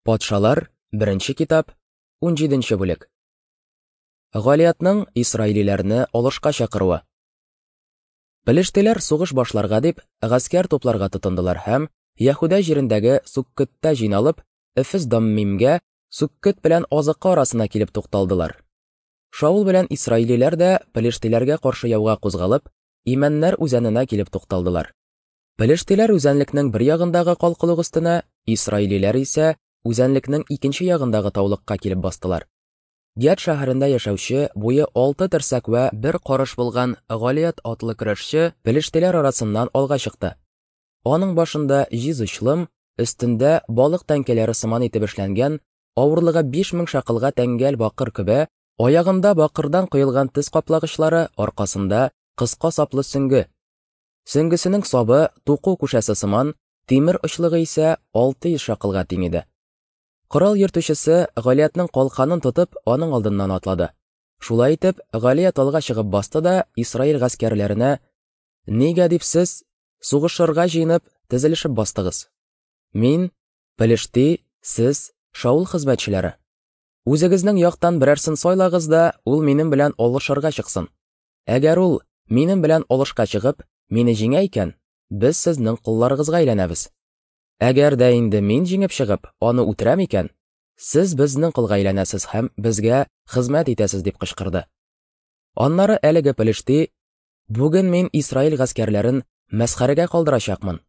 Патшалар, беренче китап, 17 нче бүлек. Галиятның исраилиләрне алышка чакыруы. Пелештиләр сугыш башларга дип, гаскәр тупларга тотындылар һәм Яһүдә җирендәге Суккөттә җыйналып, Эфес-Даммимгә, Суккөт белән Азыка арасына килеп тукталдылар. Шаул белән исраилиләр дә пелештиләргә каршы яуга кузгалып, Имәннәр үзәненә килеп тукталдылар. Пелештиләр үзәнлекнең бер ягындагы калкулык өстенә, исраилиләр исә үзәнлекнең икенче ягындагы таулыкка килеп бастылар. Гәт шәһәрендә яшәүче, буе алты терсәк вә бер карыш булган Галият атлы көрәшче пелештиләр арасыннан алга чыкты. Аның башында җиз очлым, өстендә балык тәңкәләре сыман итеп эшләнгән, авырлыгы 5000 шакылга тәңгәл бакыр көбә, аягында бакырдан коелган тез каплагычлары, аркасында кыска саплы сөңге. Сөңгесенең сабы туку күшәсе сыман, тимер очлыгы исә 600 шакылга тиң иде. Корал йөртүчесе Галиятның калканын тотып, аның алдыннан атлады. Шулай итеп, Галият алга чыгып басты да Исраил гаскәрләренә: "Нигә дип сез сугышырга җыенып, тезелешеп бастыгыз? Мин, Пелешти, сез, Шаул хезмәтчеләре. Үзегезнең яктан берәрсен сайлагыз да, ул минем белән алышырга чыксын. Әгәр ул, минем белән алышка чыгып, мине җиңә икән, без сезнең колларыгызга әйләнәбез. Әгәр дә инде мин җиңеп чыгып, аны үтерәм икән, сез безнең колга әйләнәсез һәм безгә хезмәт итәсез, дип кычкырды. Аннары әлеге пелешти, бүген мин Исраил гаскәрләрен мәсхәрәгә калдырачакмын.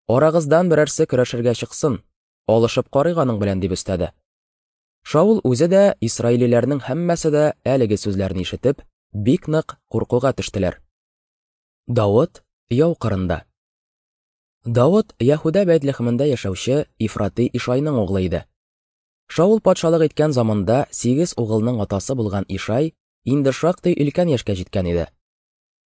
Арагыздан берәрсе көрәшергә чыксын, алышып карыйк аның белән, дип өстәде. Шаул үзе дә, исраилиләрнең һәммәсе дә әлеге сүзләрне ишетеп, бик нык куркуга төштеләр. Давыт яу кырында. Давыт Яһүдә Бәйтлехемендә яшәүче Ифрати Ишайның углы иде. Шаул патшалык иткән заманда сигез угылның атасы булган Ишай инде шактый өлкән яшькә җиткән иде.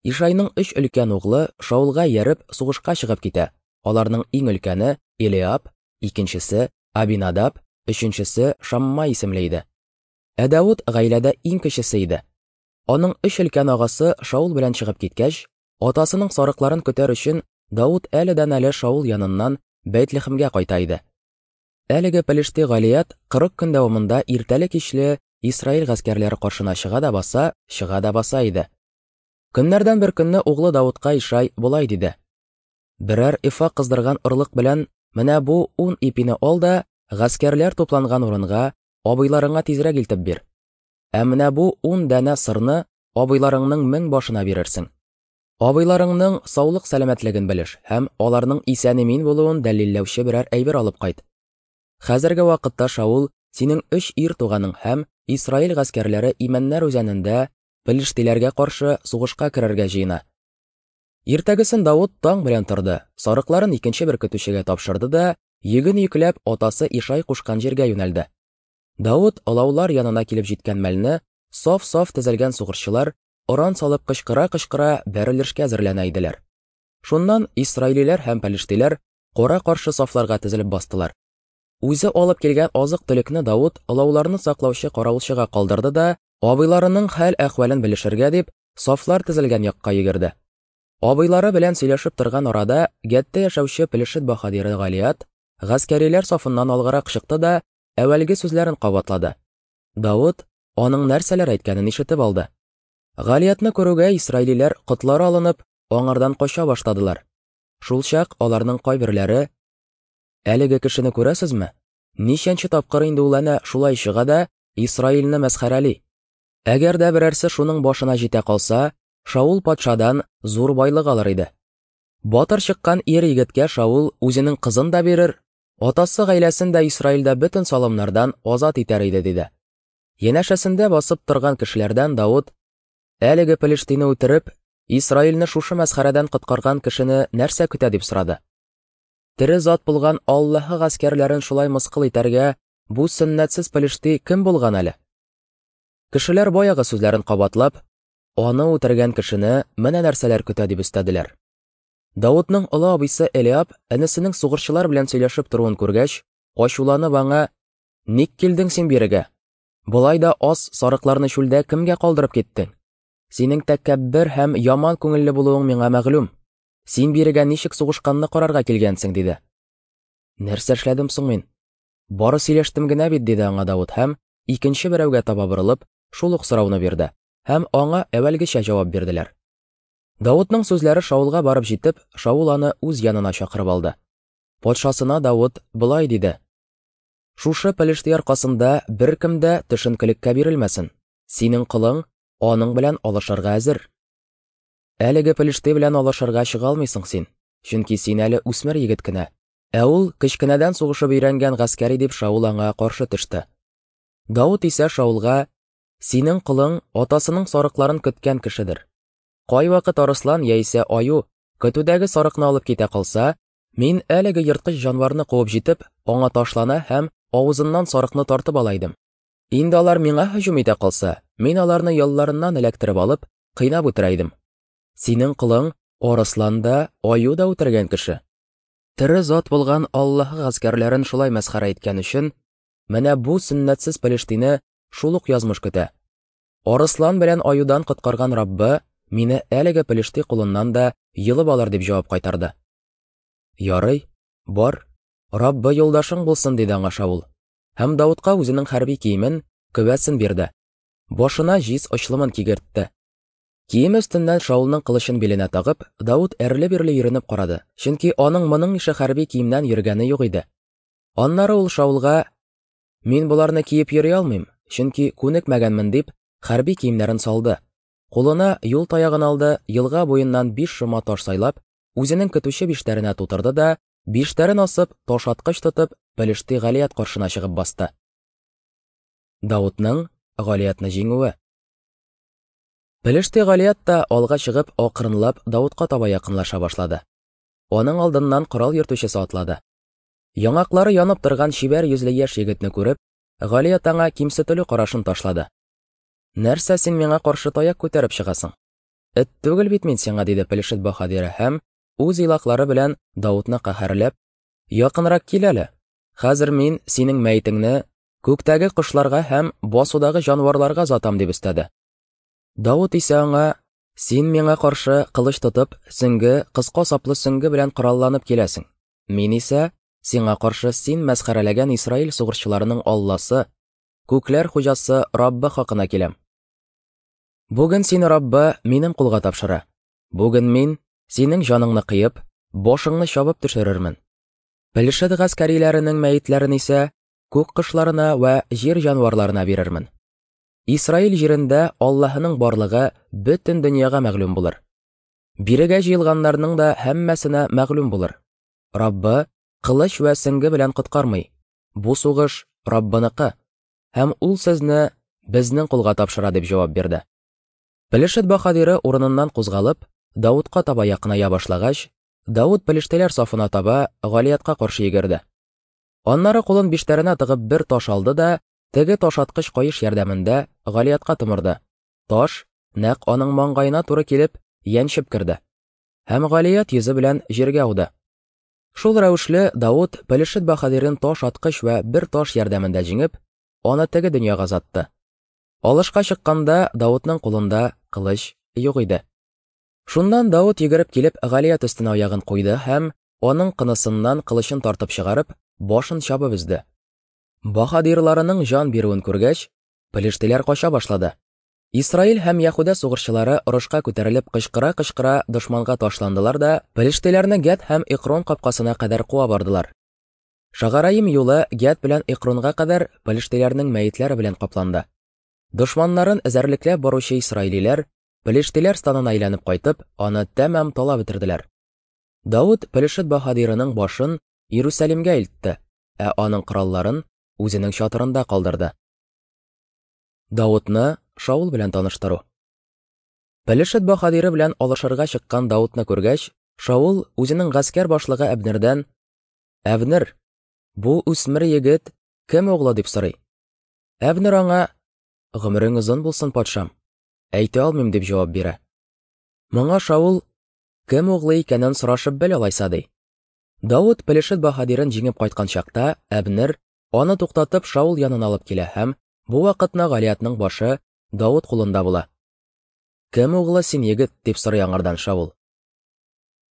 Ишайның өч өлкән углы Шаулга ияреп сугышка чыгып китә. Аларның иң өлкәне Элиаб, икенчесе Абинадаб, өченчесе Шамма исемле иде. Ә Давыт гаиләдә иң кечесе иде. Аның өч өлкән агасы Шаул белән чыгып киткәч, атасының сарыкларын көтәр өчен Давыт әледән-әле Шаул яныннан Бәйтлехемгә кайта иде. Әлеге Пелешти Галият 40 көн дәвамында иртәле-кичле Исраил гаскәрләре каршына чыга да баса, чыга да баса иде. Көннәрдән бер көнне углы Давытка Ишай болай диде: Берәр эфа кыздырган орлык белән менә бу ун ипине ал да, гаскәрләр тупланган урынга, абыйларыңа тизрәк илтеп бир. Ә менә бу ун данә сырны абыйларыңның мең башына бирерсең. Абыйларыңның саулык-сәламәтлеген белеш һәм аларның исән-имин булуын дәлилләүче берәр әйбер алып кайт. Хәзерге вакытта Шаул синең өч ир туганың һәм Исраил гаскәрләре Имәннәр үзәнендә пелештиләргә каршы сугышка керергә җыена. Иртәгесен Давыт таң белән торды, сарыкларын икенче бер көтүчегә тапшырды да, йөген йөкләп, атасы Ишай кушкан җиргә юнәлде. Давыт олаулар янына килеп җиткән мәлне, саф-саф тезелгән сугышчылар, оран салып кычкыра-кычкыра бәрелешкә әзерләнә иделәр. Шуннан исраилиләр һәм пәлештиләр кара-каршы сафларга тезелеп бастылар. Үзе алып килгән азык-төлекне Давыт олауларны саклаучы каравылчыга калдырды да, абыйларының хәл-әхвәлен белешергә дип, сафлар тезелгән якка йөгерде. Абыйлары белән сөйләшеп торган арада Гәттә яшәүче Пелешет баһадиры Галият гаскәриләр сафыннан алгарак чыкты да әүвәлге сүзләрен кабатлады. Давыт аның нәрсәләр әйткәнен ишетеп алды. Галиятны күрүгә исраилиләр котлары алынып, аңардан кача башладылар. Шулчак аларның кайберләре Әлеге кешене күрәсезме? Ничәнче тапкыр инде ул әнә шулай чыга да Исраилне мәсхәрәли. Әгәр дә берәрсе шуның башына җитә калса, Шаул патшадан зур байлык алыр иде. Батыр чыккан ир егеткә Шаул үзенең кызын да бирер, атасы гаиләсен дә Исраилдә бөтен салымнардан азат итәр иде, диде. Янәшәсендә басып торган кешеләрдән Давыт, әлеге пелештине үтереп, Исраилне шушы мәсхәрәдән коткарган кешене нәрсә көтә дип сорады. Тере зат булган Аллаһы гаскәрләрен шулай мыскыл итәргә бу сөннәтсез пелешти кем булган әле? Кешеләр баягы сүзләрен кабатлап, аны үтергән кешене менә нәрсәләр көтә дип өстәделәр. Давытның олы абыйсы Элиаб энесенең сугышчылар белән сөйләшеп торуын күргәч, ачуланып аңа: "Ник килдең син бирегә? Болай да аз сарыкларны чүлдә кемгә калдырып киттең? Синең тәкәббер һәм яман күңелле булуың миңа мәгълүм. Син бирегә ничек сугышканны карарга килгәнсең, диде. Нәрсә эшләдем соң мин? Бары сөйләштем генә бит, диде аңа Давыт һәм, икенче берәүгә таба борылып, шул ук сорауны бирде һәм аңа әүвәлгечә җавап бирделәр. Давытның сүзләре Шаулга барып җитеп, Шаул аны үз янына чакырып алды. Патшасына Давыт болай диде: Шушы пелешти аркасында беркем дә төшенкелеккә бирелмәсен. Синең колың аның белән алышырга әзер. Әлеге пелешти белән алышырга чыга алмыйсың син, чөнки син әле үсмер егет кенә. Ә ул кечкенәдән сугышып өйрәнгән гаскәри дип Шаул аңа каршы төште. Давыт исә Шаулга, Синең колың атасының сарыкларын көткән кешедер. Кайвакыт арыслан яисә аю көтүдәге сарыкны алып китә калса, мин әлеге ерткыч җанварны куып җитеп, аңа ташлана һәм авызыннан сарыкны тартып ала идем. Инде алар миңа һөҗүм итә калса, мин аларны ялларыннан эләктереп алып, кыйнап үтерә идем. Синең колың арыслан да, аю да үтергән кеше. Тере зат булган Аллаһ гаскәрләрен шулай мәсхәрә иткән өчен, менә бу сөннәтсез пелештине шул ук язмыш көтә. Арыслан белән аюдан коткарган Раббы мине әлеге пелешти кулыннан да йолып алыр дип җавап кайтарды. Ярый, бар, Раббы юлдашың булсын, диде аңа Шаул. Һәм Давытка үзенең хәрби киемен, көбәсен бирде. Башына җиз очлымын кигертте. Киеме өстеннән Шаулның кылычын биленә тагып, Давыт әрле-бирле йөренеп карады, чөнки аның моның ише хәрби киемнән йөргәне юк иде. Аннары ул Шаулга Мин боларны киеп йөри алмыйм, чөнки күнекмәгәнмен, дип, хәрби киемнәрен салды. Кулына юл таягын алды, елга буеннан биш шома таш сайлап, үзенең көтүче биштәренә тутырды да, биштәрен асып, ташаткыч тотып, Пелешти Галият каршына чыгып басты. Давытның Галиятны җиңүе. Пелешти Галият та алга чыгып, акрынлап Давытка таба якынлаша башлады. Аның алдыннан корал йөртүчесе атлады. Яңаклары янып торган чибәр йөзле яшь егетне күреп, Галият аңа кимсетелү карашын ташлады. Нәрсә син миңа каршы таяк күтәреп чыгасың? Эт түгел бит мин сиңа, диде Пелешет баһадиры һәм үз илаклары белән Давытны каһәрләп, Якынрак кил әле. Хәзер мин синең мәетеңне күктәге кошларга һәм басудагы җанварларга озатам, дип өстәде. Давыт исә аңа, Син миңа каршы кылыч тотып, сөңге, кыска саплы сөңге белән коралланып киләсең. Мин исә сиңа каршы син мәсхәрәләгән Исраил сугышчыларының Алласы, күкләр хуҗасы Раббы хакына киләм. Бүген сине Раббы минем кулга тапшыра. Бүген мин синең җаныңны кыеп, башыңны чабып төшерермен. Пелешет гаскәриләренең мәетләрен исә күк кошларына вә җир җанварларына бирермен. Исраил җирендә Аллаһының барлыгы бөтен дөньяга мәгълүм булыр. Бирегә җыелганнарның да һәммәсенә мәгълүм булыр. Раббы кылыч вә сеңге белән коткармый. Бу сугыш Раббыныкы, һәм ул сезне безнең кулга тапшыра, дип җавап бирде. Пелешет баһадиры урыныннан кузгалып, Давудка таба якыная башлагач, Давуд пелештеләр сафына таба Галиятка каршы йөгерде. Аннары кулын биштәренә тыгып бер таш алды да, теге ташаткыч каеш ярдәмендә Галиятка томырды. Таш нәкъ аның маңгаена туры килеп, яньчеп керде. Һәм Галият йөзе белән җиргә ауды. Шул рәвешле Давыт Пелешет баһадирын таш аткыч вә бер таш ярдәмендә җиңеп, аны теге дөньяга озатты. Алышка чыкканда Давытның кулында кылыч юк иде. Шуннан Давыт йөгереп килеп Галият өстенә аягын куйды һәм аның кынысыннан кылычын тартып чыгарып, башын чабып өзде. Баһадирларының җан бирүен күргәч, пелештиләр кача башлады. Исраил һәм Яһүдә сугышчылары орышка күтәрелеп кычкыра-кычкыра дошманга ташландылар да пелештиләрне Гәт һәм Экрон капкасына кадәр куа бардылар. Шагараим юлы Гәт белән Экронга кадәр пелештиләрнең мәетләре белән капланды. Дошманнарын эзәрлекләп баручы исраилиләр пелештиләр станына әйләнеп кайтып, аны тәмам талап бетерделәр. Давыт Пелешет баһадирының башын Иерусалимгә илтте, ә аның коралларын үзенең чатырында калдырды. Давытны Шаул белән таныштыру. Пелешет баһадиры белән алышырга чыккан Давытны күргәч, Шаул үзенең гаскәр башлыгы Әбнердән: "Әбнер, бу үсмер егет кем углы?" дип сорый. Әбнер аңа: "Гомерең озын булсын, патшам. Әйтә алмыйм", дип җавап бирә. Моңа Шаул: "Кем углы икәнен сорашып бел алайса", ди. Давыт Пелешет баһадирын җиңеп кайткан чакта, Әбнер аны туктатып Шаул янына алып килә һәм бу вакытны Галиятның башы Давыт кулында була. Кем углы син, егет? дип сорый аңардан Шаул.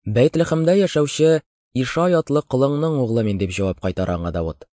Бәйтлехемдә яшәүче Ишай атлы колыңның углы мин, дип җавап кайтара аңа Давыт.